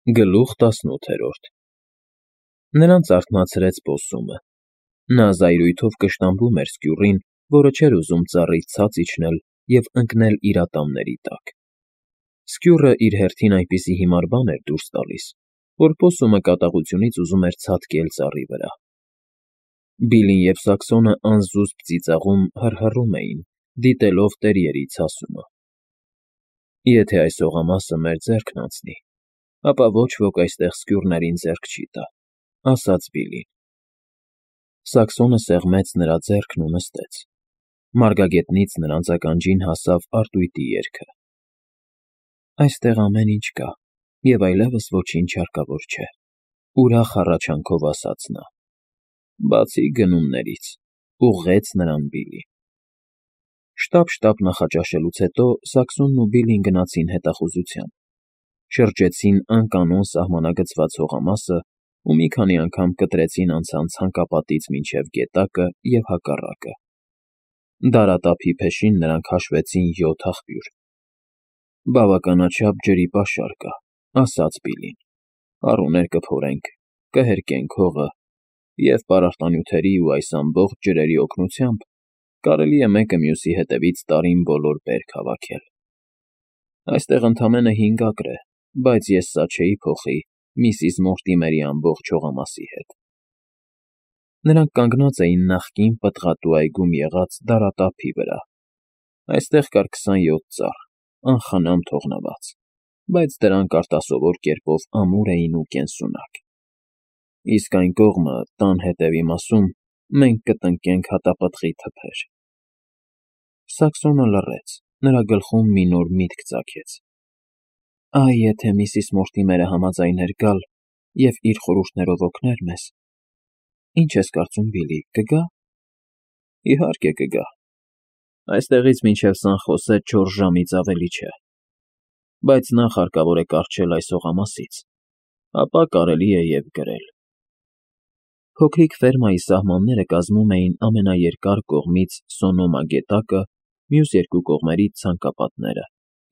Գլուխ 18 Նրանց արթնացրեց պոссումը։ Նա զայրույթով կշտամբում էր սկյուռին, որը չէր ուզում ծառից ցած իջնել և ընկնել իր ատամների տակ։ Սկյուռը իր հերթին այնպիսի հիմար բան էր դուրս տալիս, որ պոссումը կատաղությունից ուզում էր ցատկել ծառի վրա։ Բիլլին և Սաքսոնը անզուսպ ծիծաղում հռհռում էին, դիտելով տերիերի ցասումը։ «Եթե այս հողամասը մեր ձեռքն անցնի, ապա ոչ ոք այստեղ սկյուռներին ձեռք չի տա»,֊ ասաց Բիլլին։ Սաքսոնը սեղմեց նրա ձեռքն ու նստեց։ Մարգագետնից նրանց ականջին հասավ արծույտի երգը։ «Այստեղ ամեն ինչ կա, և այլևս ոչինչ հարկավոր չէ», ուրախ հառաչանքով ասաց նա։ «Բացի գնումներից», ուղղեց նրան Բիլլին։ Շտապ նախաճաշելուց հետո Սաքսոնն ու Բիլլին գնացին հետախուզության, շրջեցին անկանոն սահմանագծված հողամասը ու մի քանի անգամ կտրեցին անցան ցանկապատից մինչև գետակը և հակառակը։ Դարատափի փեշին նրանք հաշվեցին 7 աղբյուր։ «Բավականաչափ ջրի պաշար կա», ասաց Բիլլին։ «Առուներ կփորենք, կհերկենք հողը, և պարարտանյութերի ու այս ամբողջ ջրերի օգնությամբ կարելի է մեկը մյուսի հետևից տարին բոլոր բերք հավաքել։ Այստեղ ընդամենը 5 ակր է, բայց ես սա չէի փոխի միսիս Մորտիմերի ամբողջ հողամասի հետ»։ Նրանք կանգնած էին նախկին պտղատու այգում եղած դարատափի վրա։ Այստեղ կար 27 ծառ, անխնամ թողնված, բայց դրանք արտասովոր կերպով ամուր էին ու կենսունակ։ «Իսկ այն կողմը, տան հետևի մասում, մենք կտնկենք հատապտղի թփեր»։ Սաքսոնը լռեց, նրա գլխում մի նոր միտք ծագեց։ «Այ եթե միսիս Մորտիմերը համաձայներ գալ և իր խորհուրդներով օգներ մեզ, ինչ ես կարծում, Բիլլի, կգա»։ «Իհարկե կգա։ Այստեղից մինչև Սանխոսե 4 ժամից ավելի չէ։ Բայց նախ հարկավոր է կառչել այս հողամասից, ապա կարելի է և գրել»։ Փոքրիկ ֆերմայի սահմանները կազմում էին ամենաերկար կողմից Սոնոմա գետակը, մյուս երկու կողմերից ցանկապատները,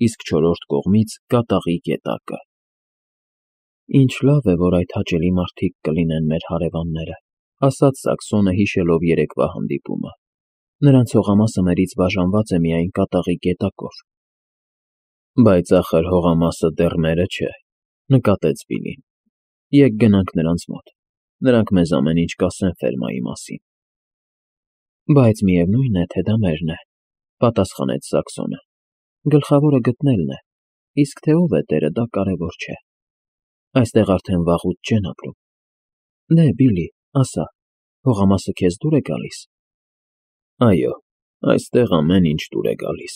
իսկ չորրորդ կողմից Կատաղի գետակը։ «Ինչ լավ է, որ այդ հաճելի մարդիկ կլինեն մեր հարևանները», ասաց Սաքսոնը, հիշելով երեկվա հանդիպումը։ «Նրանց հողամասը մերից բաժանված է միայն Կատաղի գետակով»։ «Բայց ախր հողամասը դեռ մերը չէ», նկատեց Բիլլին։ «Եկ գնանք նրանց մոտ, նրանք մեզ ամեն ինչ կասեն ֆերմայի մասին»։ «Բայց միևնույն է, թե դա մերն է», պատասխանեց Սաքսոնը։ «Գլխավորը գտնելն է, իսկ թե ով է տերը, դա կարևոր չէ։ Այստեղ արդեն վաղուց չեն ապրում։ Դե, Բիլլի, ասա, հողամասը քեզ դուր է գալիս»։ «Այո, այստեղ ամեն ինչ դուր է գալիս»,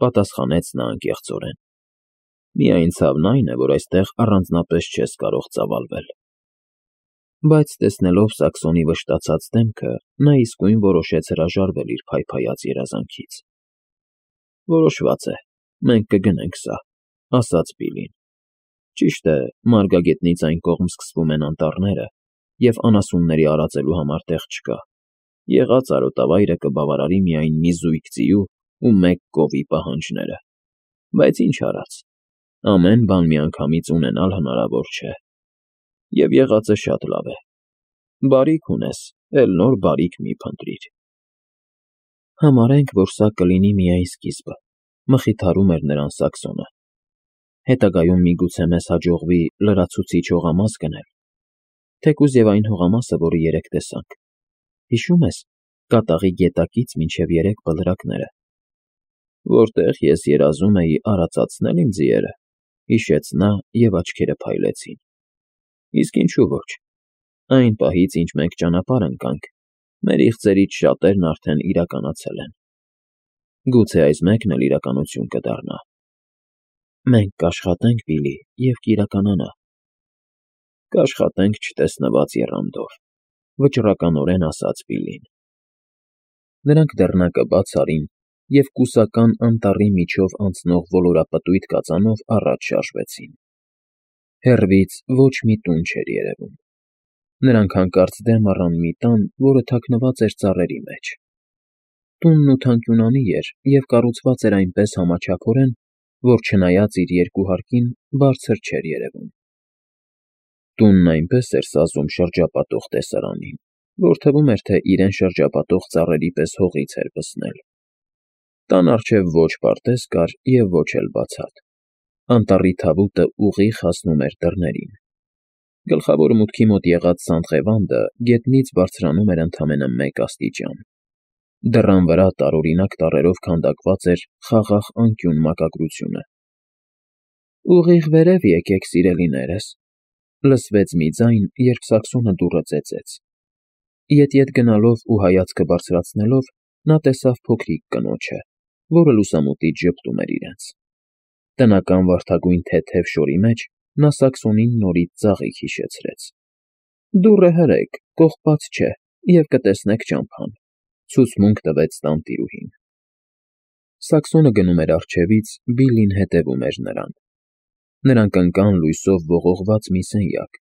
պատասխանեց նա անկեղծորեն։ «Միայն ցավն այն է, որ այստեղ առանձնապես չես կարող ծավալվել»։ Բայց տեսնելով Սաքսոնի վշտացած դեմքը, նա իսկույն որոշեց հրաժարվել իր փայփայած երազանքից։ «Որոշված է, մենք կգնենք սա», ասաց Բիլլին։ «Ճիշտ է, մարգագետնից այն կողմ սկսվում են անտառները, և անասունների արածելու համար տեղ չկա։ Եղած արոտավայրը կբավարարի միայն մի զույգ ձիու ու 1 կովի պահանջները։ Բայց ինչ արած, ամեն բան միանգամից ունենալ հնարավոր չէ։ Եվ եղածը շատ լավ է։ Բարիք ունես, էլ նոր բարիք մի փնտրիր»։ «Համարենք, որ սա կլինի միայն սկիզբը», մխիթարում էր նրան Սաքսոնը։ «Հետագայում միգուցե մեզ հաջողվի լրացուցիչ հողամաս գնել, թեկուզ և այն հողամասը, որը երեկ տեսանք։ Հիշո՞ւմ ես Կատաղի գետակից մինչև 3 բլրակները»։ «Որտեղ ես երազում էի արածացնել իմ ձիերը», հիշեց նա, և աչքերը փայլեցին։ «Իսկ ինչու ոչ։ Այն պահից, ինչ մենք ճանապարհ ընկանք, մեր իղձերից շատերն արդեն իրականացել են։ Գուցե այս մեկն էլ իրականություն կդառնա»։ «Մենք կաշխատենք, Բիլլի, և կիրականանա»։ «Կաշխատենք չտեսնված եռանդով», վճռականորեն ասաց Բիլլին։ Նրանք դռնակը բաց արին և կուսական անտառի միջով անցնող ոլորապտույտ կածանով առաջ շարժվեցին։ Հեռվից ոչ մի տուն չէր երևում։ Նրանք հանկարծ դեմ առան մի տան, որը թաքնված էր ծառերի մեջ։ Տունն ութանկյունանի էր և կառուցված էր այնպես համաչափորեն, որ չնայած իր երկու հարկին, բարձր չէր երևում։ Տունն այնպես էր սազում շրջապատող տեսարանին, որ թվում էր, թե իրեն շրջապատող ծառերի պես հողից էր պսնել։ Տան առջև ոչ պարտեզ կար և ոչ էլ բացատ։ Անտառի թավուտը ուղիղ հասնում էր դռներին։ Գլխավոր մուտքի մոտ եղած սանդղևանդը գետնից բարձրանում էր ընդամենը մեկ աստիճան։ Դռան վրա տարօրինակ տառերով քանդակված էր խաղաղ անկյուն մակագրությունը։ «Ուղիղ վերև եկեք, սիրելիներս», լսվեց մի ձայն, երբ Սաքսոնը դուռը ծեծեց։ Ետ-ետ գնալով ու հայացքը բարձրացնելով՝ նա տեսավ փոքրիկ կնոջը, որը լուսամուտից ժպտում էր իրենց։ Տնական վարդագույն թեթև շորի մեջ նա Սաքսոնին նորից ծաղիկ հիշեցրեց։ «Դուռը հրեք, կողպած չէ, և կտեսնեք ճամփան», ցուցմունք տվեց տանտիրուհին։ Սաքսոնը գնում էր առջևից, Բիլլին հետևում էր նրան։ Նրանք ընկան լույսով ողողված մի սենյակ,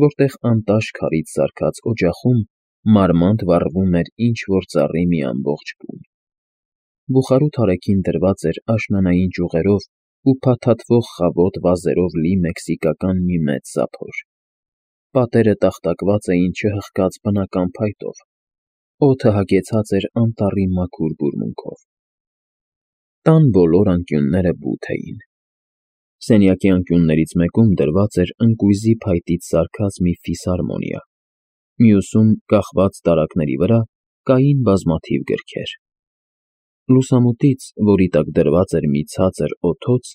որտեղ անտաշ քարից սարքած օջախում մարմանդ վառվում էր ինչ֊որ ծառի մի ամբողջ բուն։ Բուխարու թարեքին դրված էր աշնանային ճյուղերով ու փաթաթվող խավոտ վազերով լի մեքսիկական մի մեծ զափոր։ Պատերը տախտակված էին չհղկած բնական փայտով, օդը հագեցած էր անտառի մաքուր բուրմունքով։ Տան բոլոր անկյունները բութ էին։ Սենյակի անկյուններից մեկում դրված էր ընկույզի փայտից սարքած մի ֆիսհարմոնիա, մյուսում, կախված տարակների վրա, կային բազմաթիվ գրքեր։ Լուսամուտից, որի տակ դրված էր մի ցածր օդոց,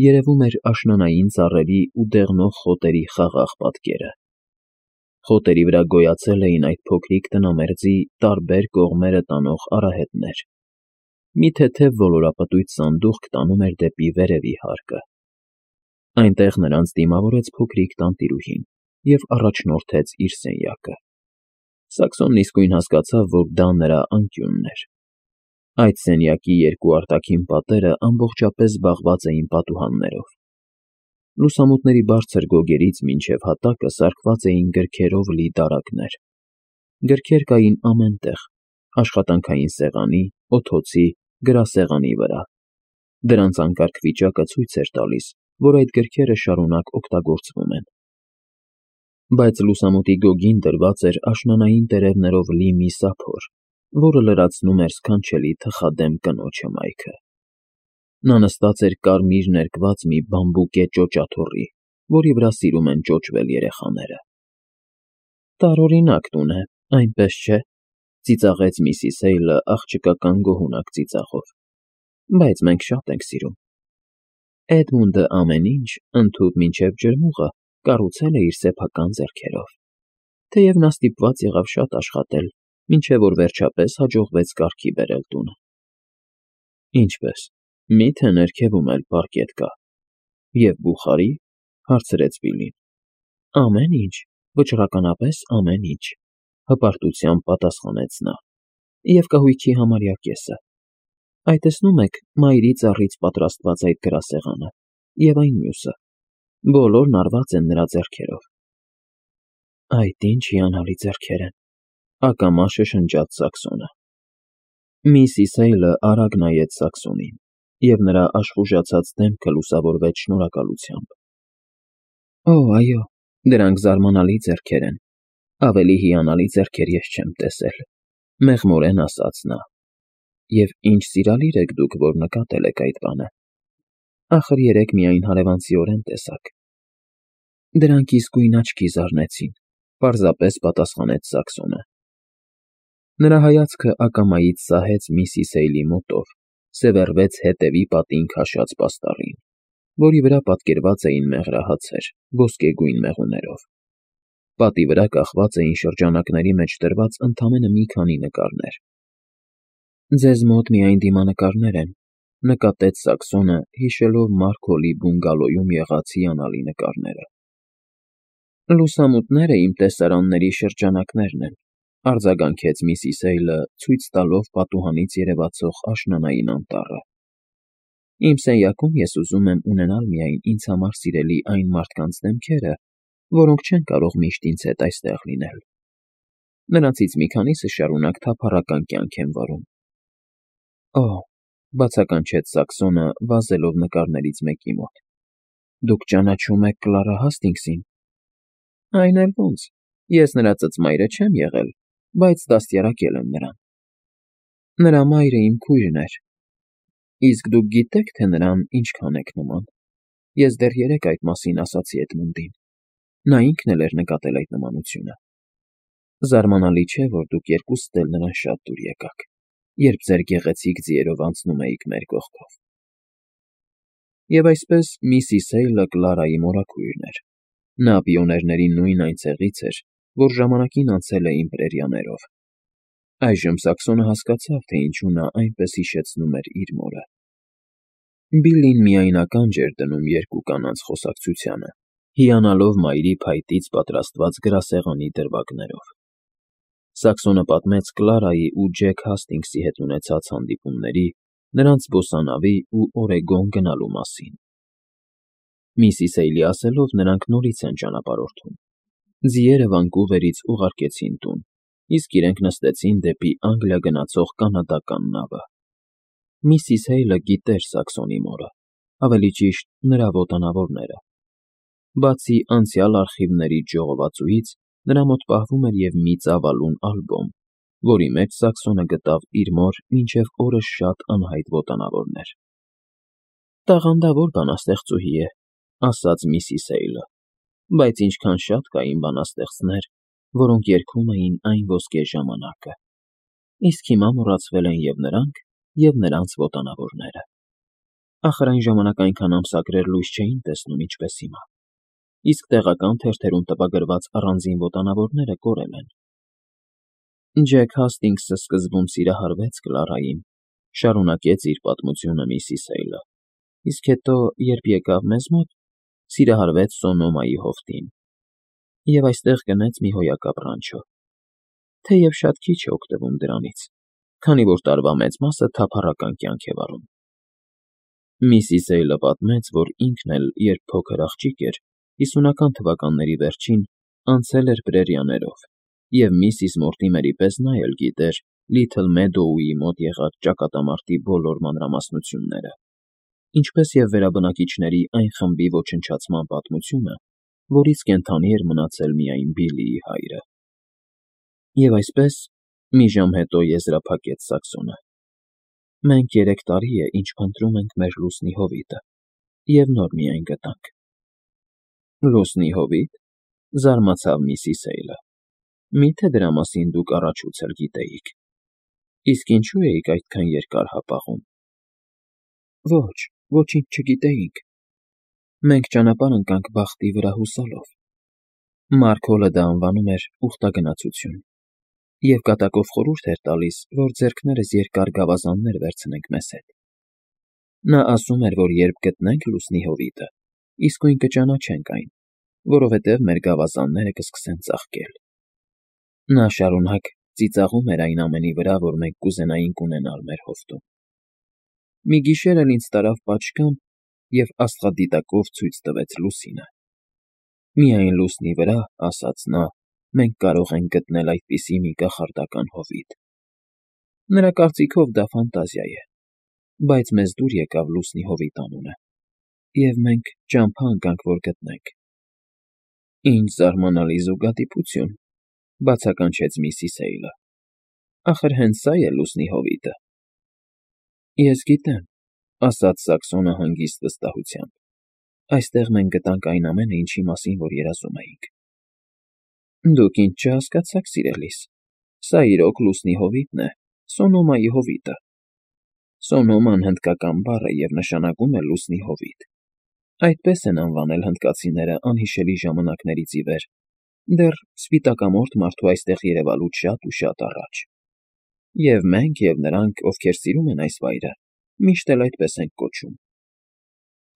երևում էր աշնանային ծառերի ու դեղնող խոտերի խաղաղ պատկերը։ Խոտերի վրա գոյացել էին այդ փոքրիկ տնամերձի տարբեր կողմերը տանող արահետներ։ Մի թեթև ոլորապտույտ սանդուղք տանում էր դեպի վերևի հարկը։ Այնտեղ նրանց դիմավորեց փոքրիկ տանտիրուհին և առաջնորդեց իր սենյակը։ Սաքսոնն իսկույն հասկացավ, որ դա նրա անկյունն էր։ Այդ սենյակի երկու արտաքին պատերը ամբողջապես զբաղված էին պատուհաններով։ Լուսամուտների բարձր գոգերից մինչև հատակը սարքված էին գրքերով լի դարակներ։ Գրքեր կային ամեն տեղ՝ աշխատանքային սեղանի, օթոցի, գրասեղանի վրա։ Դրանց անկարգ վիճակը ցույց էր տալիս, որ այդ գրքերը շարունակ օգտագործվում են։ Բայց լուսամուտի գոգին դրված էր աշնանային տերևներով լի մի սափոր, որը լրացնում էր սքանչելի թխադեմ կնոջ հմայքը։ Նա նստած էր կարմիր ներկված մի բամբուկե ճոճաթոռի, որի վրա սիրում են ճոճվել երեխաները։ «Տարօրինակ տուն է, այնպես չէ՞», ծիծաղեց միսիս Հեյլը աղջկական գոհունակ ծիծաղով։ «Բայց մենք շատ ենք սիրում։ Էդմունդը ամեն ինչ, ընդհուպ մինչև ջրմուղը, կառուցել է իր սեփական ձեռքերով, թեև նա ստիպված եղավ շատ աշխատել, մինչև որ վերջապես հաջողվեց կարգի բերել տունը»։ «Ինչպե՞ս, մի՞թե ներքևում էլ պարկետ կա։ Եվ բուխարի՞», հարցրեց Բիլլին։ «Ամեն ինչ, վճռականապես ամեն ինչ», հպարտությամբ պատասխանեց նա։ «Եվ կահույքի համարյա կեսը։ Այ տեսնում եք մայրի ծառից պատրաստված այդ գրասեղանը և այն մյուսը, բոլորն արված են նրա ձեռքերով»։ «Այդ ինչ հիանալի ձեռքեր են», ակամա շշնջաց Սաքսոնը։ Միսիս Հեյլը արագ նայեց Սաքսոնին, և նրա աշխուժացած դեմքը լուսավորվեց շնորհակալությամբ։ «Օ, այո, դրանք զարմանալի ձեռքեր են, ավելի հիանալի ձեռքեր ես չեմ տեսել», մեղմորեն ասաց նա։ «Եվ ինչ սիրալիր եք դուք, որ նկատել եք այդ բանը։ Ախր երեկ միայն հարևանցիորեն տեսաք»։ «Դրանք իսկույն աչքի զարնեցին», պարզապես պատասխանեց Սաքսոնը։ Նրա հայացքը ակամայից սահեց միսիս Հեյլի մոտով, սևեռվեց հետևի պատին քաշած պաստառին, որի վրա պատկերված էին մեղրահացեր ոսկեգույն մեղուներով։ Պատի վրա կախված էին շրջանակների մեջ դրված ընդամենը մի քանի նկարներ։ «Ձեզ մոտ միայն դիմանկարներ են», նկատեց Սաքսոնը, հիշելով Մարքոլի բունգալոյում եղած հիանալի նկարները։ «Լուսամուտները իմ տեսարանների շրջանակներն են», արձագանքեց միսիս Հեյլը, ցույց տալով պատուհանից երևացող աշնանային անտառը։ «Իմ սենյակում ես ուզում եմ ունենալ միայն ինձ համար սիրելի այն մարդկանց դեմքերը, որոնք չեն կարող միշտ ինձ հետ այստեղ լինել։ Նրանցից մի քանիսը շարունակ թափառական կյանք են վարում»։ «Օ», բացականչեց Սաքսոնը, վազելով նկարներից մեկի մոտ։ «Դուք ճանաչում եք Կլարա Հասթինգսին»։ Այն էլ ոնց, ես նրա ծծմայրը չեմ եղել, բայց դաստիարակել եմ նրան։ Նրա մայրը իմ քույրն էր, իսկ դուք գիտե՞ք, թե նրան ինչքան եք նման։ Ես դեռ երեկ այդ մասին ասացի Էդմունդին, նա ինքն էլ էր նկատել այդ նմանությունը։ Զարմանալի չէ, որ դուք երկուսդ էլ նրան շատ դուր եկաք, երբ ձեր գեղեցիկ ձիերով անցնում էիք մեր կողքով։ Եվ այսպես Միսիս Հեյլը Կլարայի մորաքույրն էր։ Նա պիոներների նույն այն ցեղից էր, որ ժամանակին անցել է իմ պրերիաներով։ Այժմ Սաքսոնը հասկացավ, թե ինչու նա այնպես հիշեցնում էր իր մորը։ Բիլլին միայն ականջ էր դնում երկու կանանց խոսակցությանը, հիանալով մայրի փայտից պատրաստված գրասեղանի դրվագներով։ Սաքսոնը պատմեց Կլարայի ու Ջեք Հասթինգսի հետ ունեցած հանդիպումների, նրանց զբոսանավի ու Օրեգոն գնալու մասին։ Միսիս Հեյլի ասելով, նրանք նորից են ճանապարհորդում։ Ձիերը Վանկուվերից ուղարկեցին տուն, իսկ իրենք նստեցին դեպի Անգլիա գնացող կանադական նավը։ Միսիս Հեյլը գիտեր Սաքսոնի մորը, ավելի ճիշտ նրա ոտանավորները։ Բացի անցյալ արխիվների ժողովածուից, նրա մոտ պահվում էր և մի ծավալուն ալբոմ, որի մեջ Սաքսոնը գտավ իր մոր մինչև օրս շատ անհայտ ոտանավորներ։ «Տաղանդավոր բանաստեղծուհի է», ասաց Միսիս Հեյլը, բայց ինչքան շատ կային բանաստեղծներ, որոնք երգում էին այն ոսկե ժամանակը։ Իսկ հիմա մոռացվել են և նրանք, և նրանց ոտանավորները։ Ախր այն ժամանակ այնքան ամսագրեր լույս չէին տեսնում, ինչպես հիմա, իսկ տեղական թերթերում տպագրված առանձին ոտանավորները կորել են։ Ջեք Հասթինգսը սկզբում սիրահարվեց Կլարային, շարունակեց իր պատմությունը Միսիս Հեյլը, իսկ հետո, երբ եկավ մեզ մոտ, սիրահարվեց Սոնոմայի հովտին և այստեղ գնեց մի հոյակապ ռանչո, թեև շատ քիչ է օգտվում դրանից, քանի որ տարվա մեծ մասը թափառական կյանք է վարում։ Միսիս Հեյլը պատմեց, որ ինքն էլ, երբ փոքր աղջիկ էր, 50-ական թվականների վերջին, անցել էր պրերիաներով, և Միսիս Մորտիմերի պես նա էլ գիտեր Լիթլ Մեդոուի մոտ եղած ճակատամարտի բոլոր մանրամասնությունները, ինչպես և վերաբնակիչների այն խմբի ոչնչացման պատմությունը, որից կենդանի էր մնացել միայն Բիլլիի հայրը։ Եվ այսպես, մի ժամ հետո եզրափակեց Սաքսոնը. «Մենք 3 տարի է, ինչ փնտրում ենք մեր լուսնի հովիտը, և նոր միայն գտանք»։ «Լուսնի հովի՞տ», զարմացավ Միսիս Հեյլը։ «Մի՞թե դրա մասին դուք առաջուց էլ գիտեիք։ Իսկ ինչու էիք այդքան երկար հապաղում»։ «Ոչ, ոչինչ չգիտեինք։ Մենք ճանապարհ ընկանք բախտի վրա հուսալով։ Մարք Հոլը դա անվանում էր ուխտագնացություն և կատակով խորհուրդ էր տալիս, որ ձեռքներս երկար գավազաններ վերցնենք մեզ հետ։ Նա ասում էր, որ երբ գտնենք լուսնի հովիտը, իսկույն կճանաչենք այն, որովհետև մեր գավազանները կսկսեն ծաղկել։ Նա շարունակ ծիծաղում էր այն ամենի վրա, որ մենք կուզենայինք ունենալ մեր հովտում։ Մի գիշեր էլ ինձ տարավ պատշգամբ և աստղադիտակով ցույց տվեց լուսինը։ Միայն լուսնի վրա, ասաց նա, մենք կարող ենք գտնել այդպիսի մի կախարդական հովիտ։ Նրա կարծիքով դա ֆանտազիա է, բայց մեզ դուր եկավ լուսնի հովիտ անունը, և մենք ճամփա ընկանք, որ գտնենք։ Ինչ զարմանալի զուգադիպություն, բացականչեց Միսիս Հեյլը։ Ախր հենց սա է լուսնի հովիտը։ Ես գիտեմ, ասաց Սաքսոնը հանգիստ վստահությամբ։ Այստեղ մենք գտանք այն ամենը, ինչի մասին որ երազում էինք։ Դուք ինձ չհասկացաք, սիրելիս, սա իրոք լուսնի հովիտն է, Սոնոմայի հովիտը։ Սոնոման հնդկական բառ է և նշանակում է լուսնի հովիտ։ Այդպես են անվանել հնդկացիները անհիշելի ժամանակներից ի վեր, դեռ սպիտակամորթ մարդու այստեղ երևալուց շատ ու շատ առաջ։ Եվ մենք, և նրանք, ովքեր սիրում են այս վայրը, միշտ էլ այդպես ենք կոչում։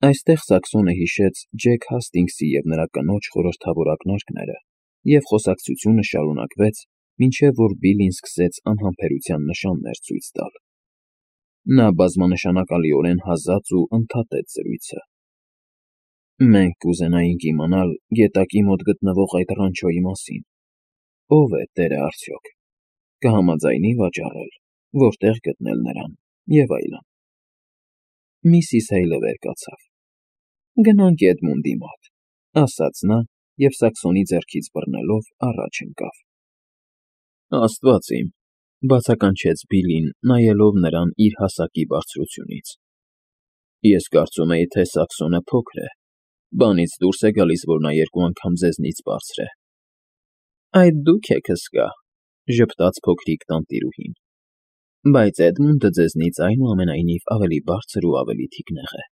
Այստեղ Սաքսոնը հիշեց Ջեք Հասթինգսի և նրա կնոջ խորհրդավոր ակնարկները, և խոսակցությունը շարունակվեց, մինչև որ Բիլլին սկսեց անհամբերության նշաններ ցույց տալ։ Նա բազմանշանակալիորեն հազաց ու ընդհատեց զրույցը։ Մենք կուզենայինք իմանալ գետակի մոտ գտնվող այդ ռանչոյի մասին։ Ո՞վ է տերը արդյոք։ Կհամաձայնի վաճառել, որտեղ գտնել նրան, և այլն։ Միսիս Հեյլը վեր կացավ։ Գնանք Էդմունդի մոտ, ասաց նա և Սաքսոնի ձեռքից բռնելով առաջ ընկավ։ Աստված իմ, բացականչեց Բիլլին, նայելով նրան իր հասակի բարձրությունից։ Ես կարծում էի, թե Սաքսոնը փոքր է, բանից դուրս է գալիս, որ նա երկու անգամ ձեզնից բարձր է։ Այդ դուք եք հսկա, ժպտաց փոքրիկ տանտիրուհին, բայց Էդմունդը ձեզնից այնուամենայնիվ ավելի բարձր ու ավելի թիկնեղ է։